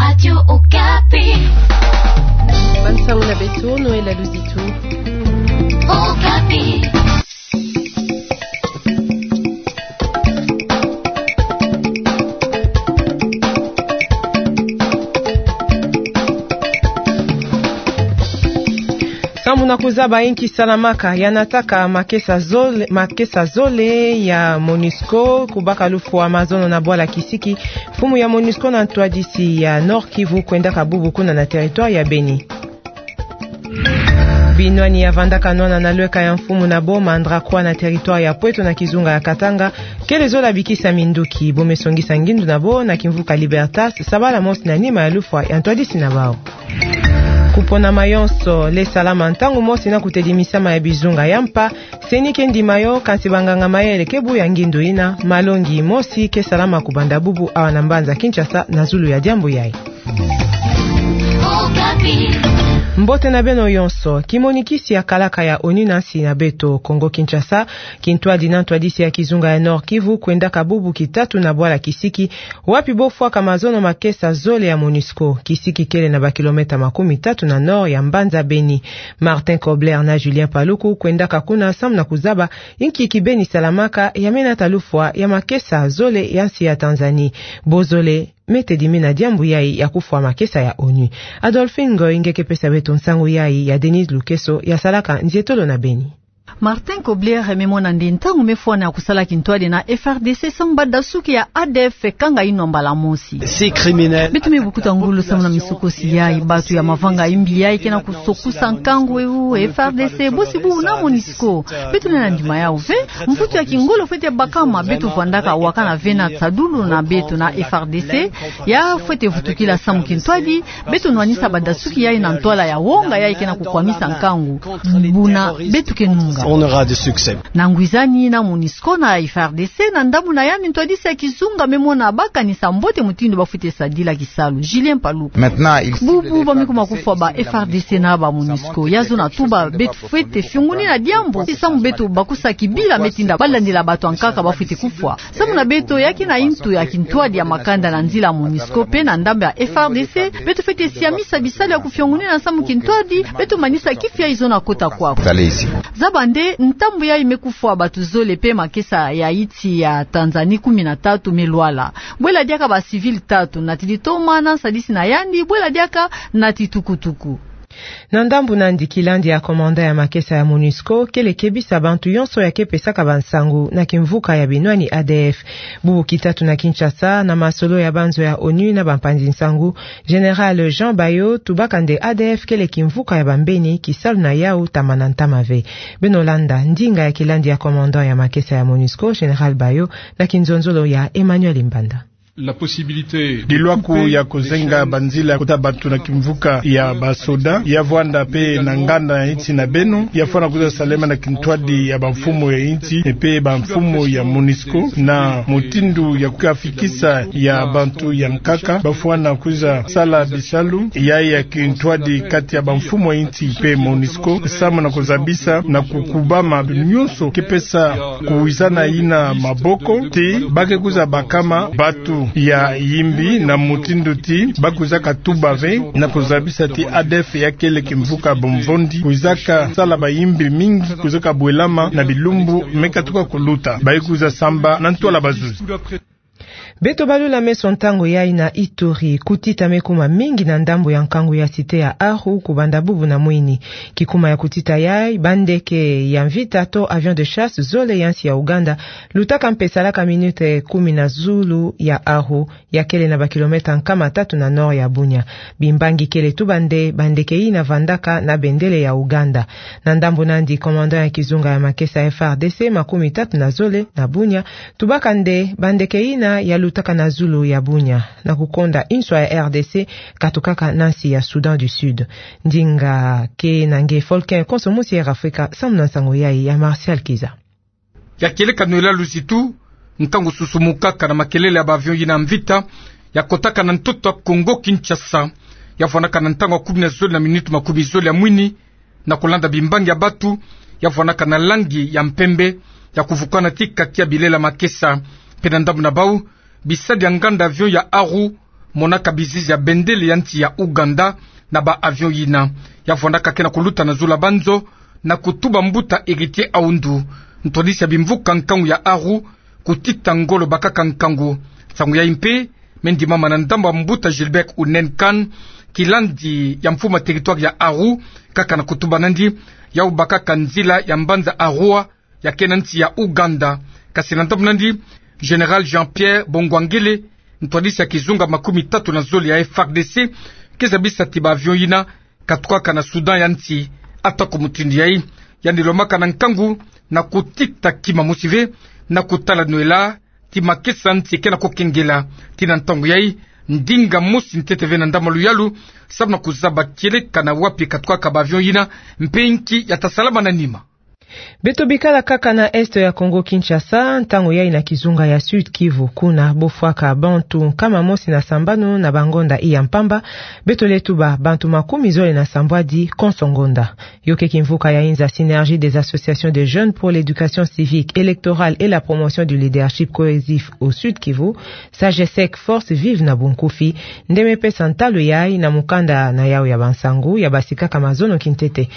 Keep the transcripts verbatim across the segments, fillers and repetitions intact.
Radio Okapi. Bansango na beto, Noël Aluzitu. Okapi. Samu na kuzaba inki salamaka ya nataka makesa zole, makesa zole ya MONUSCO, kubaka lufwa mazono na bwala kisiki, mfumu ya MONUSCO na ntwadisi ya Nord-Kivu kwendaka bubu kuna na territoire ya Beni. Binwani ya vandaka nwana na lweka ya mfumu na Boma, Ndrakwa na territoire ya Pweto na kizunga ya Katanga, kele zola bikisa minduki, bo me songisa ngindu na bo na kimvuka Libertas, sabala mosi na nima ya lufwa ya ntwadisi na bau. Kupona mayonso, le salama ntangu mosi na kutelimisama ya bizunga ya mpa, seni ke ndima yo, kansi banganga mayele ke buya ngindu ina, malongi mosi ke salama kubanda bubu awa na mbanza Kinshasa na zulu ya diambu yai. Mbote na beno yonso. Kimonikisi ya kalaka ya ONU na nsi na beto, Kongo Kinshasa kintwadi na ntwadisi ya kizunga ya Nord-Kivu kwendaka bubu kitatu na bwala kisiki, wapi bo fwaka mazono makesa zole ya MONUSCO, kisiki kele na ba kilomètre makumi tatu na nord ya mbanza Beni. Martin Kobler na Julien Paluku kwendaka kuna samu na kuzaba inki kibeni salamaka ya me nata lufwa ya makesa zole ya nsi ya Tanzanie. Bo zole me tedimi na diambu yai ya kufwa makesa ya ONU. Adolphine Ngoy nge ke pesa beto nsangu yai ya Denise Lukeso ya salaka nzietolo na Beni. Martin Kobler me mona nde ntangu me fwana ya kusala kintwadi na FRDC samu badasuki ya ADF kanga inwa mbala mosi. Ces criminels. Beto me bukuta ngolo samu na misukosi yai, batu ya mavanga imbi yai ke na kusokusa nkangu ewu, FRDC bosi bubu na MONUSCO. Beto lenda ndima yau ve, mvutu ya kingolo fwete bakama, beto vandaka wakana ve na tadulu na beto na FRDC, ya fwete vutukila samu kintwadi, beto nwanisa badasuki yai na ntwala ya wonga yai ke na kukwamisa nkangu. Buna beto ke nunga. On aura du succès. Na ngwizani na MONUSCO na FRDC, na ndambu na yandi ntwadisi ya kizunga me mona bakanisa mbote mutindu ba fwete sadila kisalu. Julien Paluku. Maintenant, il cible. Bubu ba me kuma kufwa ba FRDC na ba MONUSCO. Ya zona tuba beto fwete fiongoni na diambu. Samu beto bakusa kibila me tinda balandila batu ankaka ba fwete kufwa. Samu na beto, ya ke na intu ya kintwadi ya makanda na nzila MONUSCO mpe na ndambu ya FRDC, beto fwete siamisa bisalu ya kufiongoni na samu kintwadi, beto manisa kifi yai zona kota kwaku. Zaba nde, ntambu yai me kufwa batu zole mpe makesa ya insi ya Tanzanie kumi na tatu me lwala. Bwela diaka ba civil tatu, nati ditoma na nsadisi na yandi, bwela diaka nati tukutuku. Na ndambu nandi, kilandi ya commandant ya makesa ya MONUSCO kele kebisa bantu yonso ya ke pesaka bansangu na kimvuka ya binwani ADF. Bubu kitatu na Kinshasa, na masolo ya banzo ya ONU na bampanzi nsangu, Général Jean Bayo tubaka nde ADF kele kimvuka ya bambeni, kisalu na yau tamana ntama ve. Beno landa ndinga ya kilandi ya commandant ya makesa ya MONUSCO, Général Bayo, na kinzonzolo ya Emmanuel Mbanda. Dilwaku ya kuzenga banzila ya kuta bantu na kimvuka ya basoda, ya vwanda mpe na nganda ya insi na beno, ya fwana kwiza salema na kintwadi ya bamfumu ya insi, mpe bamfumu ya MONUSCO, na mutindu ya kukafikisa ya bantu ya nkaka, ba fwana kwiza sala bisalu, ya ya kintwadi kati ya bamfumu ya insi mpe MONUSCO, samu na kuzabisa na kukubama nyonso ke pesa kuwizana yina maboko, ti ba ke kwiza bakama batu ya yimbi na mutindu ti ba kwizaka tuba ve, na kuzabisa ti ADF ya kele kimvuka bomvondi, kwizaka sala bayimbi mingi, kwizaka bwelama na bilumbu me katuka kuluta, ba ye kwiza samba na ntwala bazuzi. Beto balula meso ntangu yai na Ituri, kutita me kuma mingi na ndambu ya nkangu ya cité ya Aru, kubanda bubu na mwini. Kikuma ya kutita yai, bandeke ya mvita to avion de chasse zole ya nsi ya Ouganda, lutaka mpe salaka minute kumi na zulu ya Aru, ya kele na ba kilomètre nkama tatu na nord ya Bunia. Bimbangi kele tuba nde bandeke yina vandaka na bendele ya Ouganda. Na ndambu nandi, commandant ya kizunga ya makesa ya FRDC makumi tatu na zole na Bunia, tubaka nde bandeke yina ya lutaka na zulu ya Bunia, na kukonda inswa ya RDC, katukaka na nsi ya Soudan du Sud. Ndinga ke na nge Volcan Konso, musi Air Afrika, samu na nsangu yai ya Martial Kiza. Ya kieleka Noël Aluzitu, nkangu susumukaka na makelele ya ba avion yina mvita, ya kotaka na ntoto ya Kongo Kinshasa, ya vwandaka na ntangu ya kumi na zole na minute makumi zole ya mwini, na kulanda bimbangi ya batu, ya vwandaka na langi ya mpembe, ya kuvukana ti kaki ya bilele ya makesa, mpe na ndambu na bau, bisadi ya nganda avion ya Aru, monaka bizizi ya bendele ya nsi ya Ouganda na ba avion yina. Ya vwandaka ke na kuluta na zulu ya banzo, na kutuba mbuta Héritier Aoundou, ntwadisi ya bimvuka nkangu ya Aru, kutita ngolo bakaka nkangu. Nsangu yayi mpe me ndimama na ndambu ya mbuta Gilbert Ounène Kane, kilandi ya mfumu ya territoire ya Aru, kaka na kutuba nandi, yau bakaka nzila ya mbanza Arua, ya ke na nsi ya Ouganda. Kasi na ndambu nandi, Général Jean-Pierre Bongwangele, ntwadisi ya kizunga makumi tatu na zole ya F R D C, ke zabisa ti ba avion yina katukaka na Soudan ya nsi. Atako mutindu yayi, yandi lomaka na nkangu na kutita kima mosi ve, na kutala nwela ti makesa nsi ke na kukengela. Ti na ntangu yayi, ndinga mosi ntete ve na ndambu ya luyalu, samu na kuzaba kieleka na wapi katukaka ba avion yina, mpe nki ya ta salama na nima. Beto bikala kaka na est ya Congo-Kinshasa, ntangu yayi na kizunga ya Sud-Kivu, kuna bo fwaka bantu nkama mosi na sambanu na bangonda iya mpamba, beto lenda tuba bantu makumi zole na sambwadi konso ngonda. Yo ke kimvuka ya inza Synergie des associations de jeunes pour l'éducation civique, électorale et la promotion du leadership cohésif au Sud-Kivu, SAGESEC, force vive na bunkufi, nde me pesa ntalu yayi na mukanda na yau ya bansangu ya basikaka mazono kintete.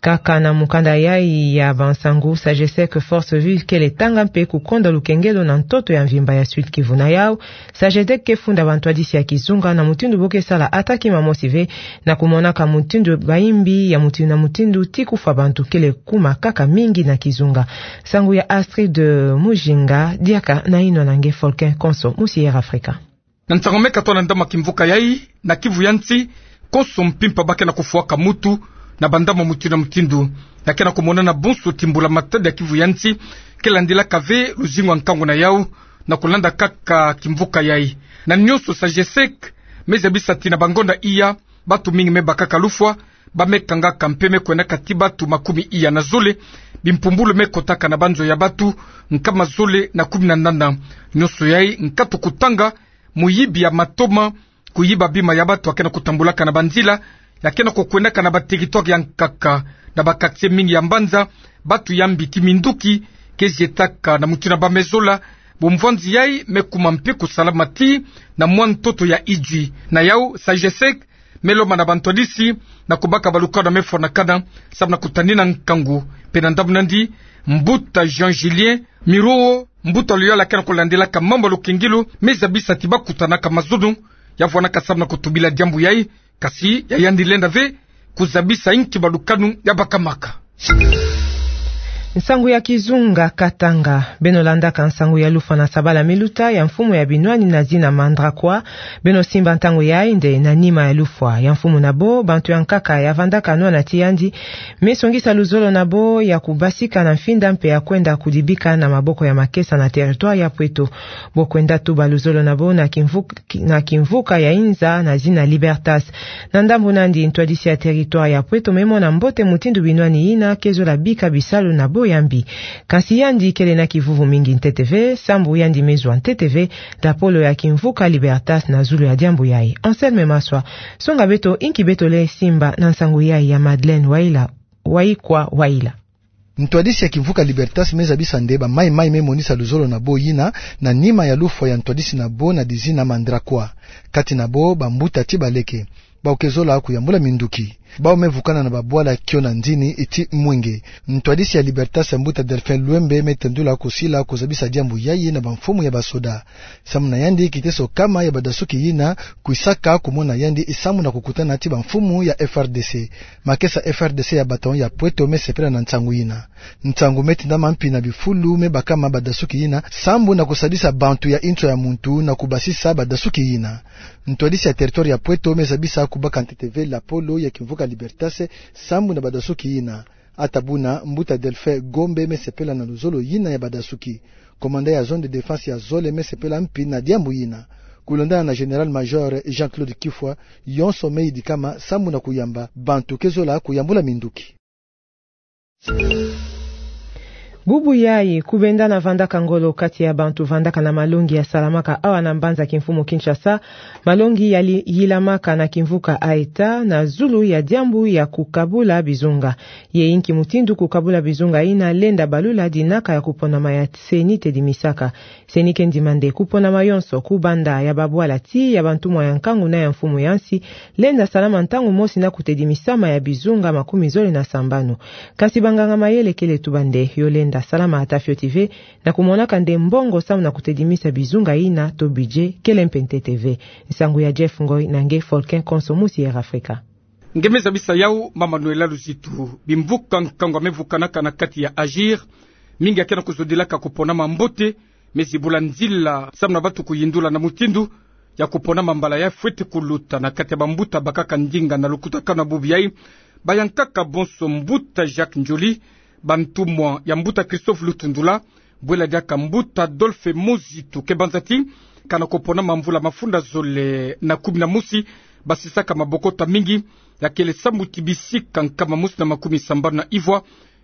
Kaka na mukanda yayi ya bansangu, SAGESEC force vive kele tanga mpe kukonda lukengelo na ntoto ya mvimba ya Sud-Kivu. Na yau, SAGESEC ke funda bantwadisi ya kizunga na mutindu bo ke sala ata kima mosi ve, na kumonaka mutindu bayimbi ya mutindu na mutindu ti kufwa bantu kele kuma kaka mingi na kizunga. Nsangu ya Astrid Mujinga, diaka na inwa na nge Folkin Konso, musi Air Afrika. Na nsangu me katoa na ndambu ya kimvuka yayi, na Kivu ya nsi, konso mpimpa ba ke na kufwaka mutu na bandambu mutindu na mutindu. Ya ke na kumonana bonso ti mbula-matadi ya Kivu ya nsi ke landilaka ve luzingu ya nkangu na yau, na kulanda kaka kimvuka yayi. Na nionso, SAGESEC me zabisa ti na bangonda iya, bantu mingi me bakaka lufwa, ba me kangaka mpe me kwendaka ti bantu makumi iya na zole, bimpumbulu me kotaka na banzo ya bantu nkama zole na kumi na nana. Nionso yayi nkatu kutanga, muyibi ya matoma, kuyiba bima ya bantu ya ke na kutambulaka na banzila, ya ke na kukwendaka na ba territoire ya nkaka, na ba quartier mingi ya mbanza, bantu ya mbiti minduki ke zietaka na mutindu ba me zola. Bumvwanzi yayi me kuma mpe kusalama ti na mwa ntoto ya Idjwi. Na yau, SAGESEC me lomba na bantwadisi na kubaka balukanu ya me fwanakana, samu na kutanina nkangu. Mpe na ndambu nandi, mbuta Jean Julien Miruo, mbuta luyala ke na kulandilaka mambu ya lukengelo, me zabisa ti ba kutanaka mazono, ya vwanaka samu na kutubila diambu yayi, kasi ya yandi lenda ve kuzabisa inki balukanu ya bakamaka. Nsangu ya kizunga Katanga. Beno landaka nsangu ya lufwa na sabala me luta ya mfumu ya binwani na zina Mandrakoa. Beno simba ntangu yayi nde na nima ya lufwa ya mfumu na bo, bantu ya nkaka ya vandaka nwana ti yandi me songisa luzolo na bo ya kubasika na mfinda mpe ya kwenda kudibika na maboko ya makesa na territoire ya Pweto. Bo kwenda tuba luzolo na bo na kimvuk-, na kimvuka ya inza na zina Libertas. Na ndambu nandi, ntwadisi ya territoire ya Pweto me mona mbote mutindu binwani yina ke zola bika bisalu na bo ya mbi. Kasi yandi kele na kivuvu mingi ntete ve, sambu yandi me zwa ntete ve lapolo ya kimvuka Libertas na zulu ya diambu yayi. Anselme Maswa, songa beto inki beto lenda simba na nsangu yayi ya Madeleine Waila, Waikwa Waila. Ntwadisi ya kimvuka Libertas me zabisa nde bamayi-mayi me monisa luzolo na bo yina na nima ya lufwa ya ntwadisi na bo na dizina Mandrakoa. Kati na bo bambuta ti baleke, bawu ke zola kuyambula minduki. Bawu me vukana na babwala kio na nzini ti mwenge. Ntwadisi ya Libertas, mbuta Delphin Luembe, me tendula kusila kuzabisa diambu yayi na bamfumu ya basoda. Samu na yandi, kiteso kama ya badasuki yina kwisaka kumona yandi sambu na kukutana ti bamfumu ya F R D C. Makesa F R D C ya bataillon ya Pweto me sepela na nsangu yina. Nsangu me tindama mpi na bifulu me bakama badasuki yina sambu na kusadisa bantu ya inso ya muntu na kubasisa badasuki yina. Ntwadisi ya territoire ya Pweto me zabisa kubaka ntete ve lapolo ya kimvuka Libertas sambu na badasuki yina. Ata buna, mbuta Delphin Gombe me sepela na luzolo yina ya badasuki. Commandant ya zone de défense ya zole me sepela mpi na diambu yina. Kulandana na général-major Jean-Claude Kifwa, yonso me yidikama sambu na kuyamba bantu ke zola kuyambula minduki. Bubu yayi, kubenda na vandaka ngolo kati ya bantu vandaka na malongi yasalamaka awa na mbanza kimfumu Kinshasa, malongi yali-, yilamaka na kimvuka Aeta, na zulu ya diambu ya kukabula bizunga. Ye inki mutindu kukabula bizunga yina lenda balula dinaka ya kuponama ya CENI tedimisaka. CENI ke ndima nde kuponama yonso, kubanda ya babwala tii ya bantumwa ya nkangu na ya mfumu ya nsi, lenda salama ntangu mosi na kutedimisama ya bizunga makumi zole na sambanu. Kasi banganga-mayele kele tuba nde yo lenda salama ata fioti ve, na kumonaka nde mbongo samu na kutedimisa bizunga yina to budget kele mpe ntete ve. Nsangu ya Jeff Ngoy na nge Folken Konso musi Air Africa. Nge me zabisa yau, Mama Noëlla Luzitu. Bimvuka nkangu ya me vukanaka na kati ya AGIR, mingi ya ke na kuzodilaka kuponama mbote, me zibula nzila samu na bantu kuyindula na mutindu ya kuponama mbala ya fweti kuluta na kati ya bambuta bakaka ndinga. Na lukutakanu ya bubu yayi, bayankaka bonso mbuta Jacques Ndjoli, bantumwa ya mbuta Christophe Lutundula, bwela diaka mbuta Adolphe Muzitu. Ke banza ti kana kuponama mvula mafunda zole na kumi na mosi, basisaka mabokota mingi ya kele sambu ti bisika nkama mosi na makumi sambanu na ivwa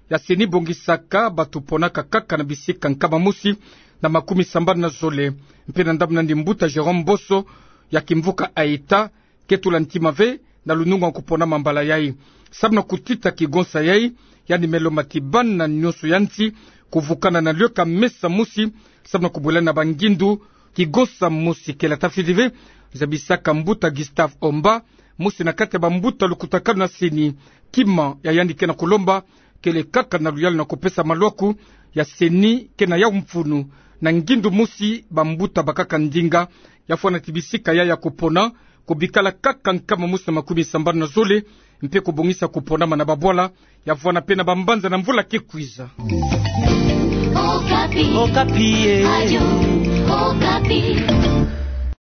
ya CENI bongisaka bantu ponaka kaka na bisika nkama mosi na makumi sambanu na zole. Mpe na ndambu nandi, mbuta Jérôme Bosso ya kimvuka Aeta ke tula ntima ve na lunungu ya kuponama mbala yayi. Samu na kutita kigonsa yayi, yandi me lomba ti bana nyonso ya nsi kuvukana na liyeka mesa mosi samu na kubwelana bangindu. Kigonsa mosi kele ata fioti ve, zabisaka mbuta Gustave Omba, mosi na kati ya bambuta lukutakanu na CENI. Kima ya yandi ke na kulomba kele kaka na luyalu na kupesa malwaku ya CENI ke na yau mfunu na ngindu mosi bambuta bakaka ndinga, ya fwana ti bisika yayi ya kupona kubikala kaka nkama mosi na makumi sambanu na zole, mpe kubongisa kuponama na babwala ya fwana mpe na bambanza na mvula ke kwiza. Okapi. Okapi, eh. Radio Okapi.